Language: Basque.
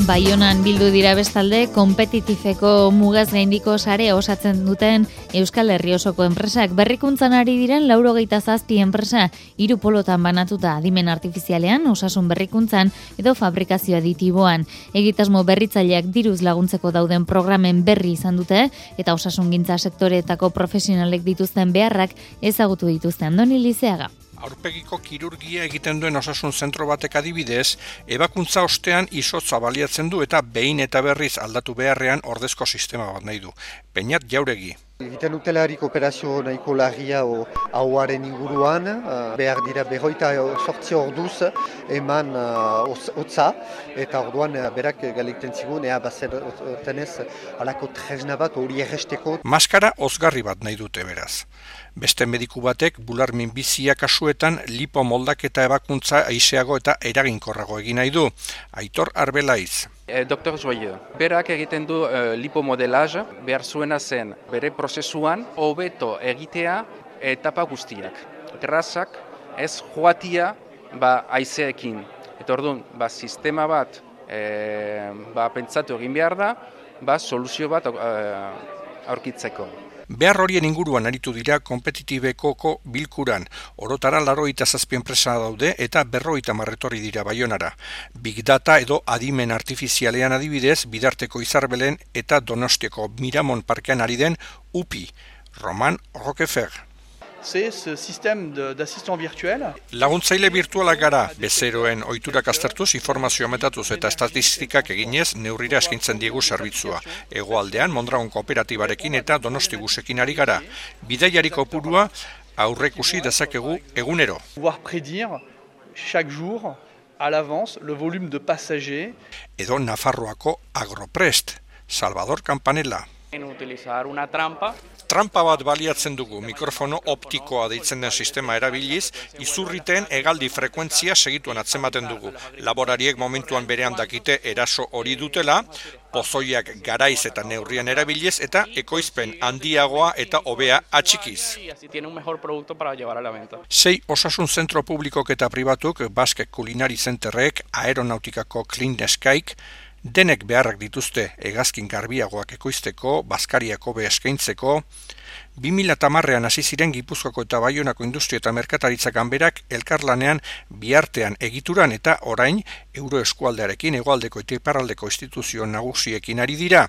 Baionan bildu dira bestalde, konpetitifeko mugaz gaindiko sare osatzen duten Euskal Herri osoko enpresak. Berrikuntzan ari diren 97 enpresa, 3 polotan banatuta, adimen artifizialean, osasun berrikuntzan edo fabrikazio aditiboan. Egitasmo berritzaileak diruz laguntzeko dauden programen berri izan dute eta osasungintza sektoreetako profesionalek dituzten beharrak ezagutu dituzte. Andoni Lizeaga. Aurpegiko kirurgia egiten duen osasun zentro batek adibidez, ebakuntza ostean izotza baliatzen du eta behin eta berriz aldatu beharrean ordezko sistema bat nahi du. Peñat Jauregi. Egiten dutelarik operazio nahiko larria hauaren inguruan, behar dira 28 orduz eman hotza, eta orduan berak galekten zigun, bazer tenez alako tresna bat hori erresteko. Maskara ozgarri bat nahi dute beraz. Beste mediku batek bular minbizia kasuetan lipo moldaketa ebakuntza aiseago eta eraginkorrago egin nahi du. Aitor Arbelaiz. Dr. Joyeux, berak egiten du lipomodelaz, behar zuena zen bere prozesuan hobeto egitea etapa guztiak. Grazak ez joatia haizeekin. Eta orduan, sistema bat pentsatu egin behar da, soluzio bat aurkitzeko. Behar horien inguruan aritu dira konpetitibekoko bilkuran. Orotara 87 enpresa daude eta 50 etorri dira Baionara. Big Data edo adimen artifizialean adibidez, Bidarteko Izarbelen eta Donostiako Miramon parkean ari den UPI, Roman Roquefer. C'est ce système d'assistant virtuel. Laguntzaile virtualak gara, bezeroen ohiturak aztertuz, informazio metatuz eta estatistikak eginez neurrira eskaintzen diegu zerbitzua. Hegoaldean Mondragon kooperatibarekin eta Donostibusekin ari gara. Bidaiari kopurua aurreikusi dezakegu egunero. Pouvoir prédire chaque jour à l'avance le volume de passagers. Edo Nafarroako Agroprest, Salvador Campanella. Utilizar una trampa. Trampa bat baliatzen dugu, mikrofono optikoa deitzen den sistema erabiliz, izurriteen hegaldi frekuentzia segituan atzematen dugu. Laborariek momentuan berean dakite eraso hori dutela, pozoiak garaiz eta neurrian erabiliz eta ekoizpen handiagoa eta hobea atxikiz. 6 osasun zentro publikok eta pribatuk, Basque Culinary Centerrek, Aeronautikako Clean Skyk, denek beharrak dituzte hegazkin garbiagoak ekoizteko, bazkariako eskaintzeko. 2010ean hasi ziren Gipuzkoako eta Baionako industria eta merkataritza ganberak elkarlanean biartean egituran eta orain Euroeskualdearekin hegoaldeko eta iparraldeko instituzio nagusiekin ari dira.